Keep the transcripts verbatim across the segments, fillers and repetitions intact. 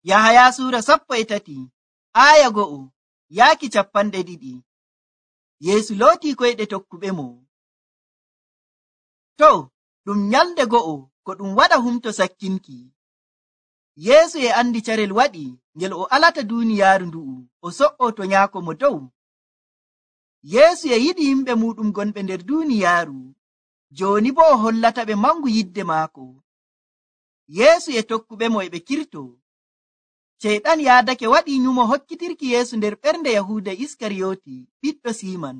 Yahaya suura sappo e tati aya go'o yaaki cappanɗe ɗiɗi. Yeesu lootii koyɗe tokkuɓe mo. To ɗum nyalde go'o ko ɗum waɗa humto sakkinki. Yeesu e andi carel waɗi ngel o alata duuniyaaru ndu'u o so'o to nyaako mo dow. Yeesu e yiɗi yimɓe muɗum gonɓe nder duuniyaaru, jooni bo o hollata ɓe mangu yidde maako. Yeesu e tokkuɓe mo e ɓe kirto. Ceyɗan yaadake waɗi nyumo hokkitirki Yeesu nder ɓernde Yahuuda Iskariyoti ɓiɗɗo Siiman.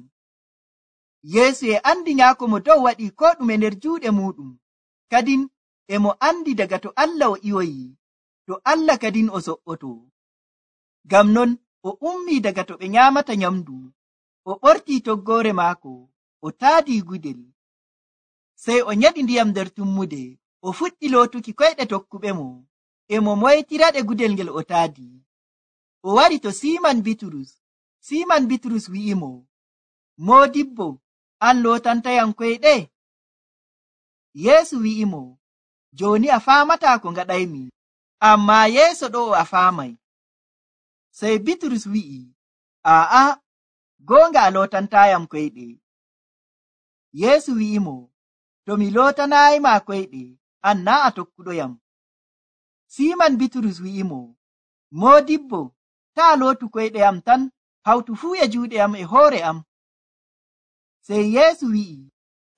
Yeesu e andi nyaako mo dow waɗi ko ɗume nder juuɗe muɗum, kadin e mo andi daga to Allah o iwoyi, to Allah kadin o so'oto. Ngam non o ummii daga to ɓe nyaamata nyamdu, o ɓortii toggoore maako, o taadii gudel. Sey o nyeɗi ndiyam nder tummude, o fuɗɗi lootuki koyɗe tokkuɓe mo, e mo moytiraɗe gudel ngel o taadi. O wari to Siiman Bitrus. Siiman Bitrus wi'imo, Moodibbo, an lootantayam koyɗe? Yeesu wi'imo, jooni a faamataa ko ngaɗaymi, ammaa yeeso ɗo'o a faamay. Sey Bitrus wi'i, aa'a, goonga a lootantayam koyɗe. Yeesu wi'imo, to mi lootanayima koyɗe, an naa a tokkuɗoyam. Siiman Bitrus wi'imo, Moodibbo, taa lootu koyɗe am tan, hawtu fuu e juuɗe am e hoore am. Sey Yeesu wi'i,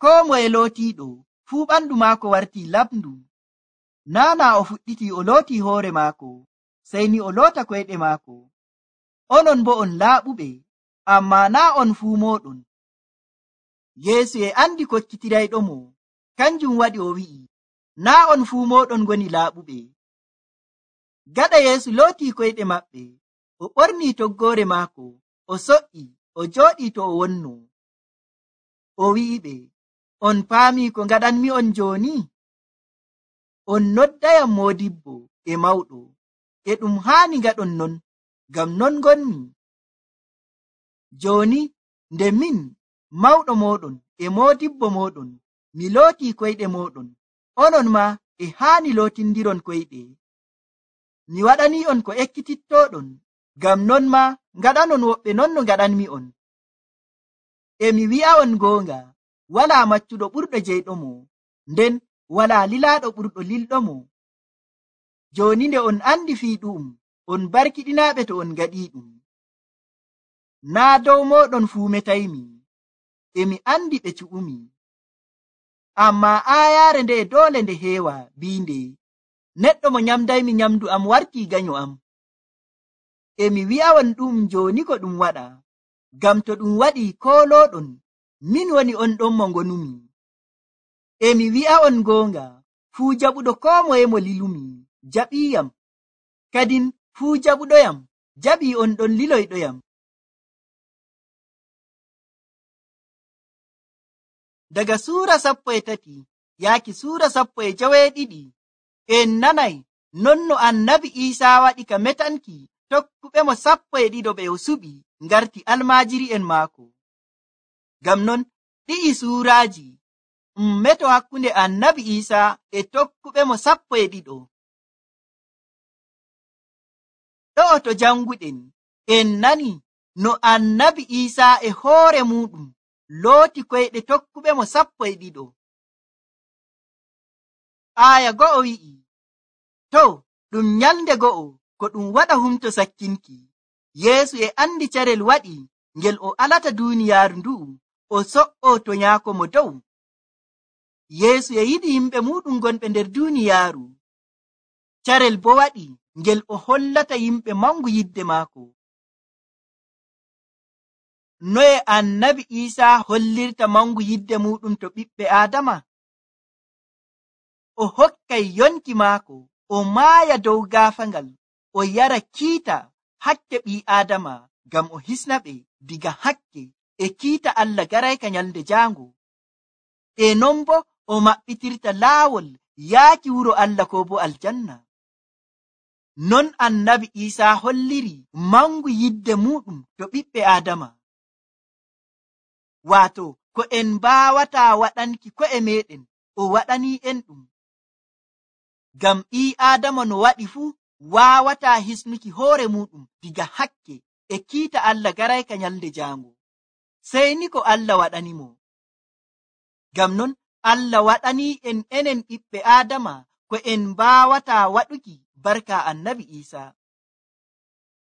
koo moye lootiiɗo fuu ɓandu maako wartii laɓndu. Naana o fuɗɗiti o lootii hoore maako, sey ni o loota koyɗe maako. Onon bo on laaɓuɓe, ammaa naa on fuu mooɗon. Yeesu e andi kokkitirayɗo mo, kanjum waɗi o wi'i, naa on fuu mooɗon ngoni laaɓuɓe. Gaɗa Yeesu lootii koyɗe maɓɓe, o ɓornii toggoore maako, o so'i, o jooɗii to o wonno. O wi'iɓe, on paamii ko ngaɗanmi'on jooni? On noddayam Moodibbo e mawɗo, e ɗum haani ngaɗon non, ngam non ngonmi. Jooni nde min, mawɗo mooɗon e moodibbo mooɗon, mi lootii koyɗe mooɗon, onon ma e haani lootindiron koyɗe. Mi waɗanii'on ko ekkitittooɗon, ngam non ma ngaɗanon woɓɓe non no ngaɗanmi'on. E mi wi'a'on goonga, walaa maccuɗo ɓurɗo jeyɗomo, nden walaa lilaaɗo ɓurɗo lilɗomo. Jooni nde on andi fii ɗu'um, on barkiɗinaaɓe to on ngaɗii ɗum. Naa dow mooɗon fuu metaymi, e mi andi ɓe cu'umi. Ammaa aayaare nde e doole nde heewa biinde, neɗɗo mo nyamdaymi nyamdu am wartii ganyo am. E mi wi'a'on ɗum jooni ko ɗum waɗa, ngam to ɗum waɗii koolooɗon, min woni on ɗon mo ngonumi. E mi wi'a'on goonga, fuu jaɓuɗo koo moye mo lilumi, jaɓiiyam, kadin fuu jaɓuɗoyam, jaɓii on ɗon liloyɗoyam. Daga suura sappo e tati yaaki suura sappo e joweeɗiɗi, en nanay non no annabi Iisaa waɗi ka metanki tokkuɓe mo sappo e ɗiɗo ɓe o suɓi ngarti almaajiri'en maako. Ngam non ɗi'i suuraaji um meto hakkunde annabi Iisaa e tokkuɓe mo sappo e ɗiɗo. Ɗo'o to janguɗen, en nani no annabi Iisaa e hoore muɗum looti koyɗe tokkuɓe mo sappo e ɗiɗo. Aya go'o wi'i, to ɗum nyalde go'o ko ɗum waɗa humto sakkinki, Yeesu e andi carel waɗi ngel o alata duuniyaaru ndu'u o so'o to nyaako mo dow. Yeesu e yiɗi yimɓe muɗum gonɓe nder duuniyaaru. Carel bo waɗi ngel o hollata yimɓe mangu yidde maako. Noye annabi Iisaa hollirta mangu yidde muɗum to ɓiɓɓe Aadama? O hokkay yonki maako, o maaya dow gaafangal, o yara kiita hakke ɓii Aadama ngam o hisna ɓe diga hakke e kiita Allah garayka nyalde jaango. E non bo o maɓɓitirta laawol yaaki wuro Allah ko bo aljanna. Non annabi Iisaa holliri mangu yidde muɗum to ɓiɓɓe Aadama. Waato ko en mbaawataa waɗanki ko'e meɗen, o waɗanii en ɗum. Ngam ɓii Aadama no waɗi fuu, waawataa hisnuki hoore muɗum diga hakke e kiita Allah garayka nyalde jaango, sey ni ko Allah waɗanimo. Ngam non Allah waɗanii en enen ɓiɓɓe Aadama ko en mbaawataa waɗuki barka annabi Iisaa.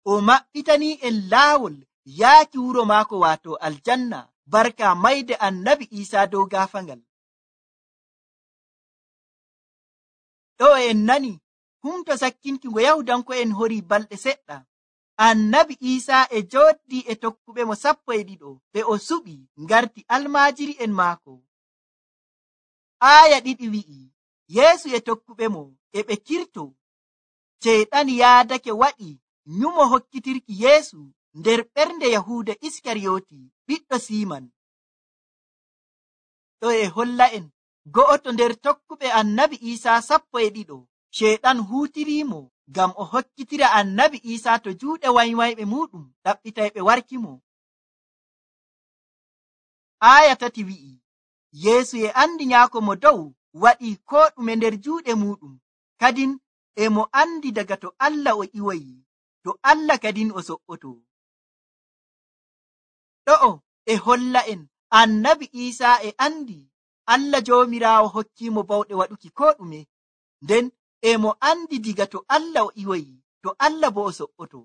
O maɓɓitanii en laawol yaaki wuro maako waato aljanna barka mayde annabi Iisaa dow gaafangal. Ɗo en nani humto sakkinki ngo Yahudanko'en horii balɗe seɗɗa, annabi Iisaa e jooɗii e tokkuɓe mo sappo e ɗiɗo ɓe o suɓi ngarti almaajiri'en maako. Aaya ɗiɗi wi'i, Yeesu e tokkuɓe mo e ɓe kirto. Ceyɗan yaadake waɗi nyumo hokkitirki Yeesu nder ɓernde Yahuuda Iskariyooti ɓiɗɗo Siiman. Ɗo e holla en go'oto nder tokkuɓe annabi Iisaa sappo e ɗiɗo ceyɗan huutiriimo ngam o hokkitira annabi Iisaa to juuɗe waymayɓe muɗum ɗaɓɓitayɓe warkimo. Aaya tati wi'i, Yeesu e andi nyaako mo dow waɗi koo ɗume nder juuɗe muɗum, kadin e mo andi daga to Allah o iwoyi, to Allah kadin o so'oto. Ɗo'o e holla en annabi Iisaa e andi Allah Joomiraawo hokkiimo bawɗe waɗuki koo ɗume, nden e mo andi diga to Allah o iwoyi, to Allah bo o so'oto.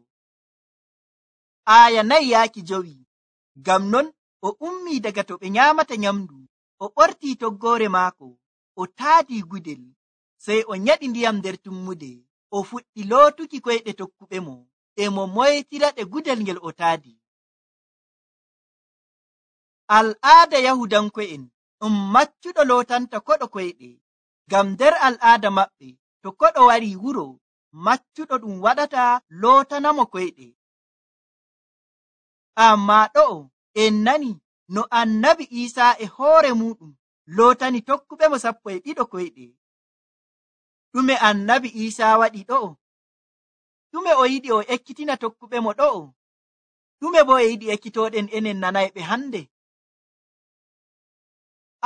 Aaya nayi yaaki jowi, ngam non o ummii daga to ɓe nyaamata nyamdu, o ɓortii toggoore maako, o taadii gudel, sey o nyaɗi ndiyam nder tummude, o fuɗɗi lootuki koyɗe tokkuɓe mo, e mo moytiraɗe gudel ngel o taadi. Al'aada Yahudanko'en ɗum maccuɗo lootanta koɗo koyɗe, ngam nder al'aada maɓɓe to koɗo warii wuro, maccuɗo ɗum waɗata lootanamo koyɗe. Ammaa ɗo'o en nani no annabi Iisaa e hoore muɗum lootani tokkuɓe mo sappo e ɗiɗo koyɗe. Ɗume annabi Iisaa waɗi ɗo'o? Ɗume o yiɗi o ekkitina tokkuɓe mo ɗo'o? Ɗume bo e yiɗi ekkitooɗen enen nanayɓe hande?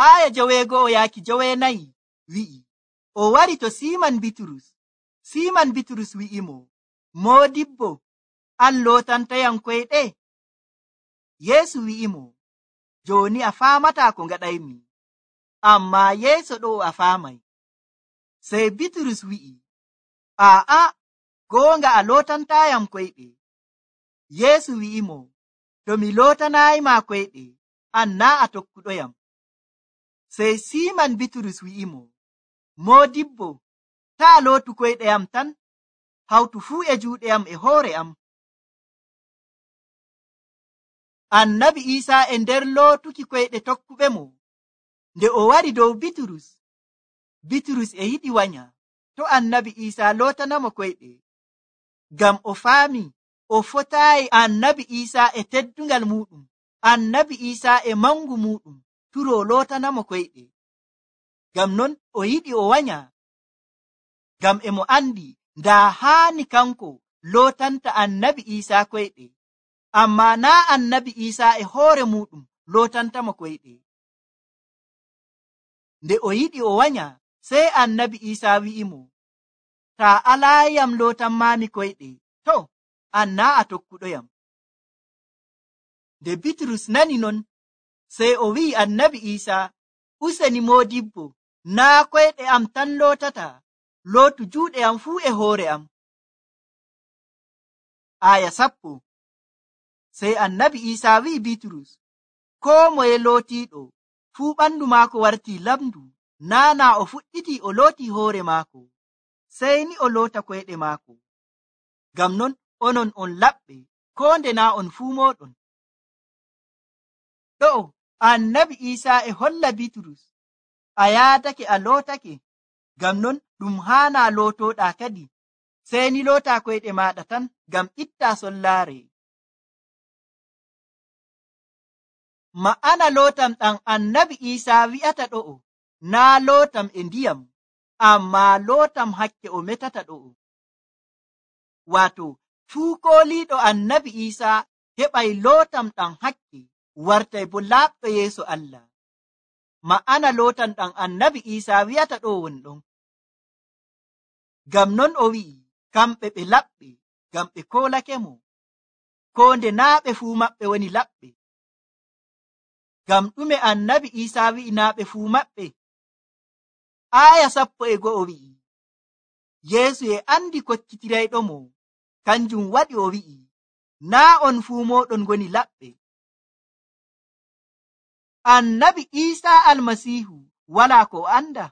Aaya joweego'o yaaki joweenayi wi'i, o wari to Siiman Bitrus. Siiman Bitrus wi'imo, Moodibbo, an lootantayam koyɗe? Yeesu wi'imo, jooni a faamataa ko ngaɗaymi, ammaa yeeso ɗo a faamay. Sey Bitrus wi'i, aa'a, goonga a lootantayam koyɗe. Yeesu wi'imo, to mi lootanayima koyɗe, an naa a tokkuɗoyam. Sey Siiman Bitrus wi'imo, Moodibbo, taa lootu koyɗe am tan, hawtu fuu e juuɗe am e hoore am. Annabi Iisaa e nder lootuki koyɗe tokkuɓe mo, nde o wari dow Bitrus, Bitrus e yiɗi wanya to annabi Iisaa lootanamo koyɗe, ngam o faami o fotaayi annabi Iisaa e teddungal muɗum, annabi Iisaa e mangu muɗum turo lootanamo koyɗe. Ngam non o yiɗi o wanya, ngam e mo andi ndaa haani kanko lootanta annabi Iisaa koyɗe, ammaa naa annabi Iisaa e hoore muɗum lootantamo koyɗe. Nde o yiɗi o wanya, sey annabi Iisaa wi'imo, taa alaayam lootanmaami koyɗe, to an naa a tokkuɗoyam. Nde Bitrus nani non, sey o wi'i annabi Iisaa, useni Moodibbo, naa koyɗe am tan lootata, lootu juuɗe am fuu e hoore am. Aya sappo. Sey annabi Iisaa wi'i Bitrus, koo moye lootiiɗo fuu ɓandu maako wartii lamdu, naana o fuɗɗitii o lootii hoore maako, sey ni o loota koyɗe maako. Ngam non onon on laɓɓe, koo nde naa on fuu mooɗon. Ɗo'o annabi Iisaa e holla Bitrus, a yaadake a lootake, ngam non ɗum haanaa lootooɗaa kadi, sey ni lootaa koyɗe maaɗa tan, ngam ittaa sollaare. Ma'ana lootam ɗam annabi Iisaa wi'ata ɗo'o, naa lootam e ndiyam, ammaa lootam hakke o metata ɗo'o. Waato, fuu kooliiɗo annabi Iisaa heɓay lootam ɗam hakke, wartay bo laaɓɗo yeeso Allah. Ma'ana lootam ɗam annabi Iisaa wi'ata ɗo won ɗon. Ngam non o wi'i, kamɓe ɓe laɓɓe ngam ɓe kolake mo, koo nde naa ɓe fuu maɓɓe woni laɓɓe. Ngam ɗume annabi Iisaa wi'i naa ɓe fuu maɓɓe? Aaya sappo e go'o wi'i, Yeesu e andi kokkitirayɗo mo, kanjum waɗi o wi'i, naa on fuu mooɗon ngoni laɓɓe. Annabi Iisaa Almasiihu walaa ko o anda,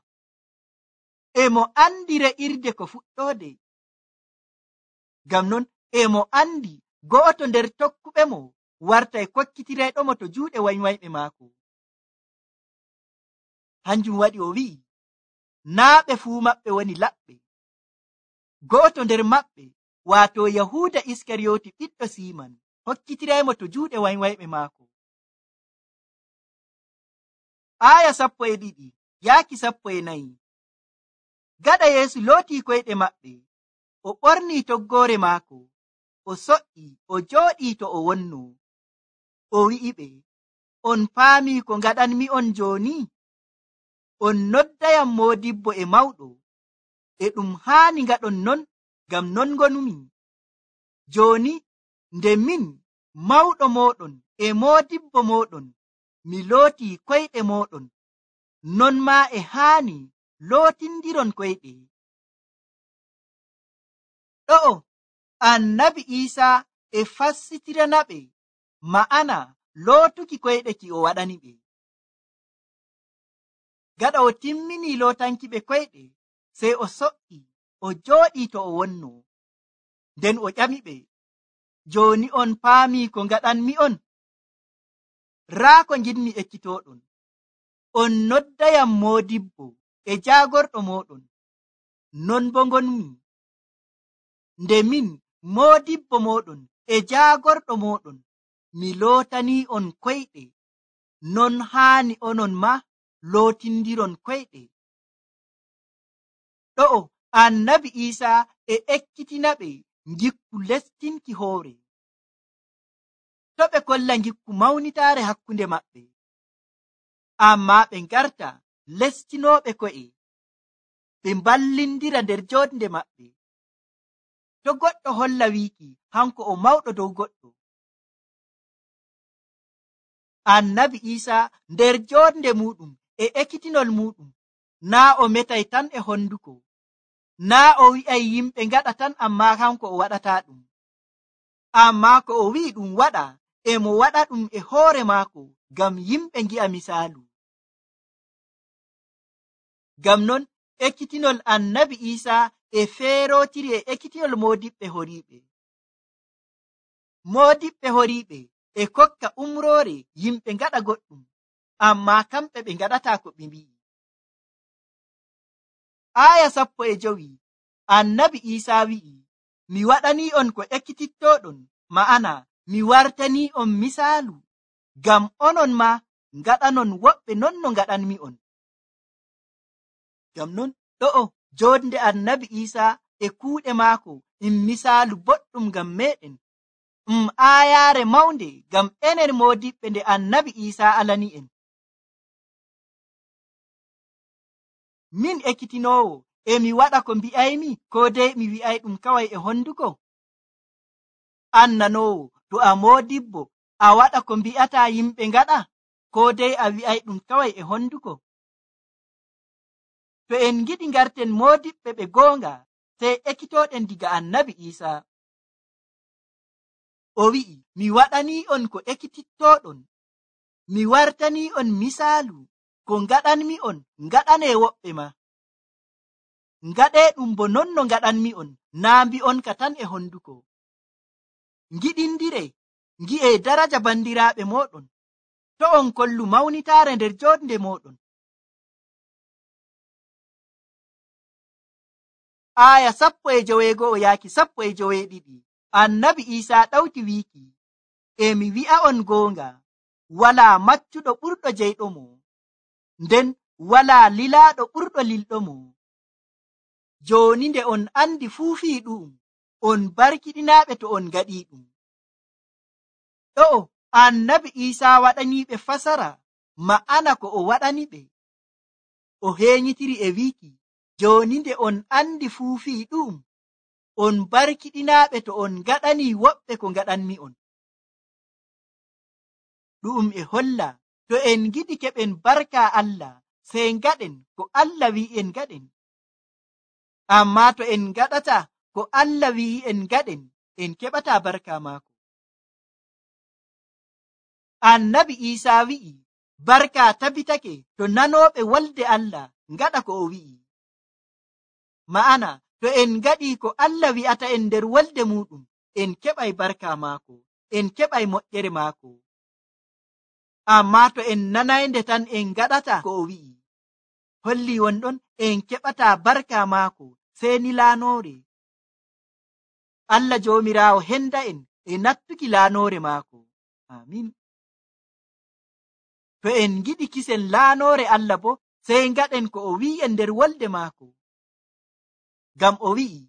e mo andi re'irde ko fuɗɗoode. Ngam non e mo andi go'oto nder tokkuɓe mo wartay kokkitirayɗo mo to juuɗe wanywayɓe maako. Hanjum waɗi o wi'i, naa ɓe fuu maɓɓe woni laɓɓe. Go'oto nder maɓɓe, waato Yahuuda Iskariyooti ɓiɗɗo Siiman, hokkitiraymo to juuɗe wanywayɓe maako. Aaya sappo e ɗiɗi yaaki sappo e nayi. Gaɗa Yeesu lootii koyɗe maɓɓe, o ɓornii toggoore maako, o so'ii, o jooɗii to o wonno. O wi'iɓe, on paamii ko ngaɗanmi'on jooni? On noddayam moodibbo e mawɗo. E ɗum haani ngaɗon non, ngam non ngonumi. Jooni nde min, mawɗo mooɗon e moodibbo mooɗon, mi lootii koyɗe mooɗon, non maa e haani lootindiron koyɗe. Ɗo'o annabi Iisaa e fassitiranaɓe ma'ana lootuki koyɗe ki o waɗani ɓe. Gaɗa o timminii lootanki ɓe koyɗe, sey o so'ii, o jooɗii to o wonno. Nden o ƴamiɓe, jooni on paamii ko ngaɗanmi'on? Raa ko ngiɗmi ekkitooɗon. On noddayam moodibbo e jaagorɗo mooɗon, non bo ngonmi. Nde min, moodibbo mooɗon e jaagorɗo mooɗon, mi lootanii'on koyɗe, non haani onon maa lootindiron koyɗe. Ɗo'o annabi Iisaa e ekkitinaɓe ngikku lestinki hoore. To ɓe kolla ngikku mawnitaare hakkunde maɓɓe, ammaa ɓe ngarta lestinooɓe ko'e, ɓe mballindira nder joonde maɓɓe. To goɗɗo holla wiiki hanko o mawɗo dow goɗɗo, annabi Iisaa nder joonde muɗum e ekkitinol muɗum, naa o metay tan e honduko, naa o wi'ay yimɓe ngaɗa tan ammaa hanko o waɗataa ɗum. Ammaa ko o wi'i ɗum waɗa, e mo waɗa ɗum e hoore maako ngam yimɓe ngi'a misaalu. Ngam non ekkitinol annabi Iisaa e feerootiri e ekkitinol moodiɓɓe horiiɓe. Moodiɓɓe horiiɓe e kokka umroore yimɓe ngaɗa goɗɗum, ammaa kamɓe ɓe ngaɗataa ko ɓe mbi'i. Aaya sappo e jowi annabi Iisaa wi'i, mi waɗanii'on ko ekkitittooɗon, ma'ana mi wartanii'on misaalu, ngam onon maa ngaɗanon woɓɓe non no ngaɗanmi'on. Ngam non ɗo'o joonde annabi Iisaa e kuuɗe maako ɗum misaalu boɗɗum ngam meeɗen, ɗum aayaare mawnde ngam enen moodiɓɓe nde annabi Iisaa alani'en. Min ekkitinoowo, e mi waɗa ko mbi'aymi, ko dey mi wi'ay ɗum kaway e honduko? An nanoowo, to a moodibbo, a waɗa ko mbi'ataa yimɓe ngaɗa, ko dey a wi'ay ɗum kaway e honduko? To en ngiɗi ngarten moodiɓɓe ɓe goonga, sey ekkitooɗen diga annabi Iisaa. O wi'i, mi waɗanii'on ko ekkitittooɗon, mi wartanii'on misaalu, ko ngaɗanmi'on ngaɗanee woɓɓe ma. Ngaɗee ɗum bo non no ngaɗanmi'on, naa mbi'on ka tan e honduko. Ngiɗindire, ngi'ee daraja bandiraaɓe mooɗon, to on kollu mawnitaare nder joonde mooɗon. Aaya sappo e joweego'o yaaki sappo e joweeɗiɗi annabi Iisaa ɗawti wiiki, e mi wi'a on goonga, walaa maccuɗo ɓurɗo jeyɗo mo, nden walaa lilaaɗo ɓurɗo lilɗo mo. Jooni nde on andi fuu fii ɗu'um, on barkiɗinaaɓe to on ngaɗii ɗum. Ɗo'o annabi Iisaa waɗaniiɓe fasara ma'ana ko o waɗani ɓe. O heenyitiri e wiiki, jooni nde on andi fuu fii ɗu'um, on barkiɗinaaɓe to on ngaɗani woɓɓe ko ngaɗanmi on. Ɗu'um e holla to en giɗi keɓen barka Allah sey ngaɗen ko Allah wi'i en ngaɗen. Amma to en ngaɗata ko Allah wi'i en ngaɗen, en keɓata barka maako. Annabi Iisaa wi'i barka tabitake to nanooɓe wolde Allah ngaɗa ko o wi'i. Ma'ana to en ngaɗi ko Allah wi'ata en nder wolde muɗum, en keɓay barka maako, en keɓay moƴƴere maako. Amma to en nanaynde tan en ngaɗata ko o wi'i, holli wonɗon en keɓata barka maako sey ni laanoore. Allah Joomiraawo henda en e nattuki laanoore maako. Amin. To en giɗi kisen laanoore Allah bo, sey ngaɗen ko o wi'i en nder wolde maako. Ngam o wi'i,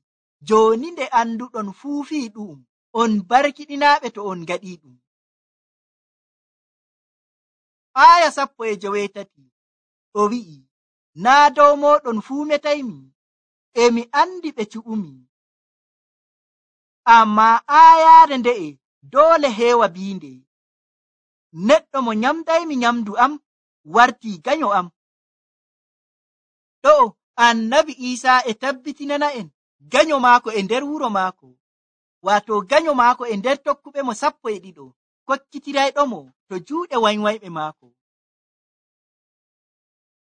jooni nde anduɗon fuufii ɗu'um, on barkiɗinaaɓe to on ngaɗii ɗum. Aya sappo e joweetati o wi'i, naa dow mooɗon fuu metaymi, e mi andi ɓe cuɓumi. Amma ayaare nde'e doole heewa biinde, neɗɗo mo nyamdaymi nyamdu am wartii ganyo am. Ɗo Annabi Iisaa e tabbitinana en ganyo maako e nder wuro maako, waato ganyo maako e nder tokkuɓe mo sappo e ɗiɗo kokkitirayɗomo to juuɗe wanywayɓe maako.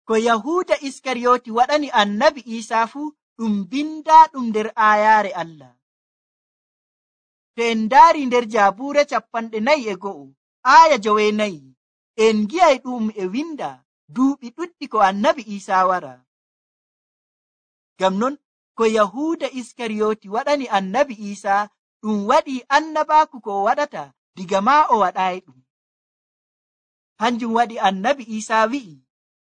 Ko Yahuuda Iskariyooti waɗani Annabi Iisaa fuu ɗum bindaaɗum nder aayaare Allah. To en ndaari nder Jaabuure capanɗe nayi e go'o aaya joweenayi, en ngi'ay ɗum e winda duuɓi ɗuɗɗi ko Annabi Iisaa wara. Ngam non ko Yahuuda Iskariyooti waɗani Annabi Iisaa ɗum waɗii annabaaku ko o waɗata diga maa o waɗaayi ɗum. Hanjum waɗi Annabi Iisaa wi'i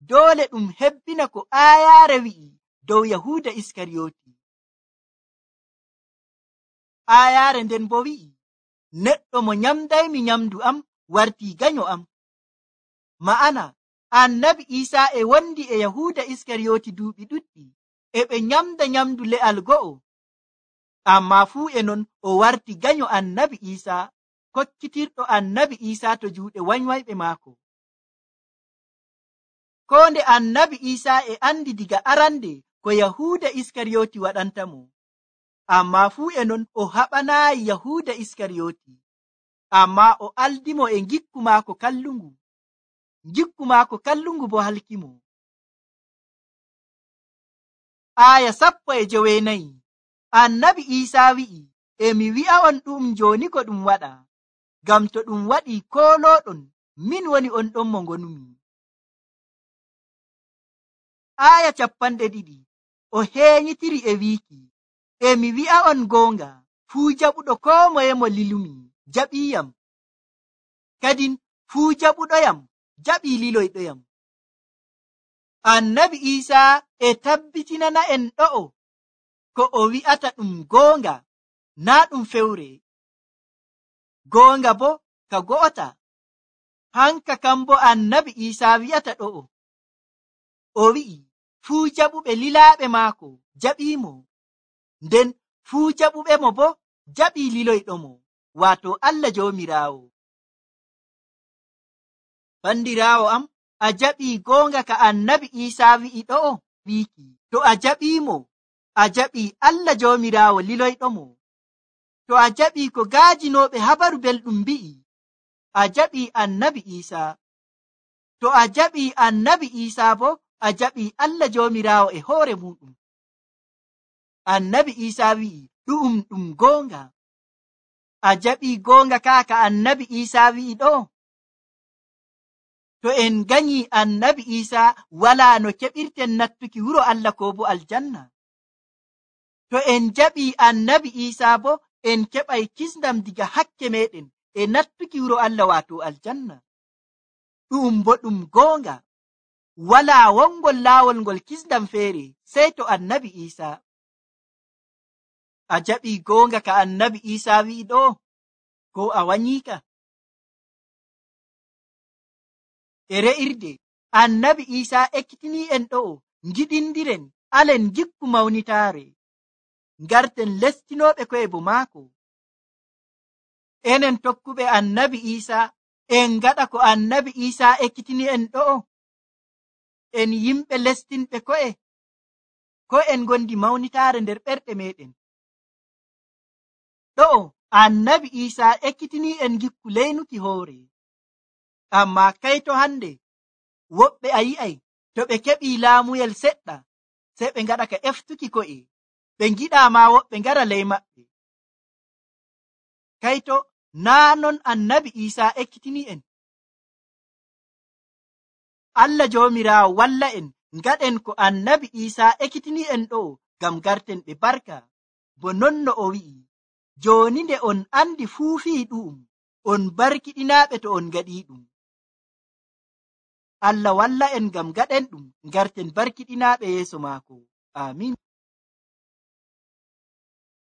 doole ɗum hebbina ko aayaare wi'i dow Yahuuda Iskariyooti. Aayaare nden bo wi'i, neɗɗo mo nyamdaymi nyamdu am wartii ganyo am. Ma'ana Annabi Iisaa e wondi e Yahuuda Iskariyooti duuɓi ɗuɗɗi, e ɓe nyamda nyamdu le'al go'o. Amma fuu e non o warti ganyo Annabi Iisaa, kokkitirɗo Annabi Iisaa to juuɗe wanywayɓe maako. Ko nde Annabi Iisaa e andi diga arande ko Yahuuda Iskariyooti waɗantamo, amma fuu e non o haɓanaayi Yahuuda Iskariyooti, amma o aldimo e ngikku maako kallungu. Ngikku maako kallungu bo halkimo. Aya sappo e joweenayi, Annabi Iisaa wi'i, e mi wi'a on ɗum jooni ko ɗum waɗa, ngam to ɗum waɗii koolooɗon, min woni on ɗon mo ngonumi. Aya capanɗe ɗiɗi o heenyitiri e wiiki, e mi wi'a on goonga, fuu jaɓuɗo koo moye mo lilumi jaɓiiyam, kadin fuu jaɓuɗoyam jaɓii liloyɗoyam. Annabi Iisaa e tabbitinana en ɗo'o ko o wi'ata ɗum goonga, naa ɗum fewre. Goonga bo ka go'ota. Hanka kam bo Annabi Iisaa wi'ata ɗo'o. O wi'i fuu jaɓuɓe lilaaɓe maako jaɓiimo, nden fuu jaɓuɓe mo bo jaɓii liloyɗomo, waato Allah Joomiraawo. Bandiraawo am, a jaɓii goonga ka Annabi Iisaa wi'i ɗo'o wiiki. To a jaɓiimo, a jaɓii Allah Joomiraawo liloyɗomo. To a jaɓii ko gaajinooɓe habaru belɗum mbi'i, a jaɓii Annabi Iisaa. To a jaɓii Annabi Iisaa bo, a jaɓii Allah Joomiraawo e hoore muɗum. Annabi Iisaa wi'i ɗu'um ɗum goonga. A jaɓii goonga kaa ka Annabi Iisaa wi'i ɗo? To en ganyii Annabi Iisaa, walaa no keɓirten nattuki wuro Allah ko bo aljanna. To en jaɓii Annabi Iisaa bo, en keɓay kisndam diga hakke meɗen e nattuki wuro Allah waato aljanna. Ɗu'um bo ɗum goonga. Walaa wongol laawol ngol kisndam feere sey to Annabi Iisaa. A jaɓii goonga ka Annabi Iisaa wi'i ɗo, ko a wanyiika? E re'irde Annabi Iisaa ekkitinii en ɗo'o ngiɗindiren alen gikku mawnitaare. ngarten lestinoɓe ko'e bo maako. Enen tokkuɓe annabi Isa en ngaɗa ko annabi Isa ekkitini en ɗo'o. En yimɓe lestinɓe ko'e, ko en gondi mawnitaare nder ɓerɗe meɗen. Ɗo'o annabi Isa ekkitini en gikku leynuki hoore. Amma kayto hande woɓɓe a yi'ay to ɓe keɓi laamuyel seɗɗa sei ɓe ngaɗa ka eftuki ko'e, ɓe ngiɗa ma woɓɓe ngara ley maɓɓe. Kayto naa non annabi Isa ekkitini en. Allah Joomiraawo walla en ngaɗen ko annabi Isa ekkitini en ɗo ngam garten ɓe barka, bo non no o wi'i, jooni nde on andi fuu fii ɗu'um, on barkiɗinaaɓe to on ngaɗi ɗum. Allah walla en ngam gaɗen ɗum, garten barkiɗinaaɓe yeeso maako. Amin.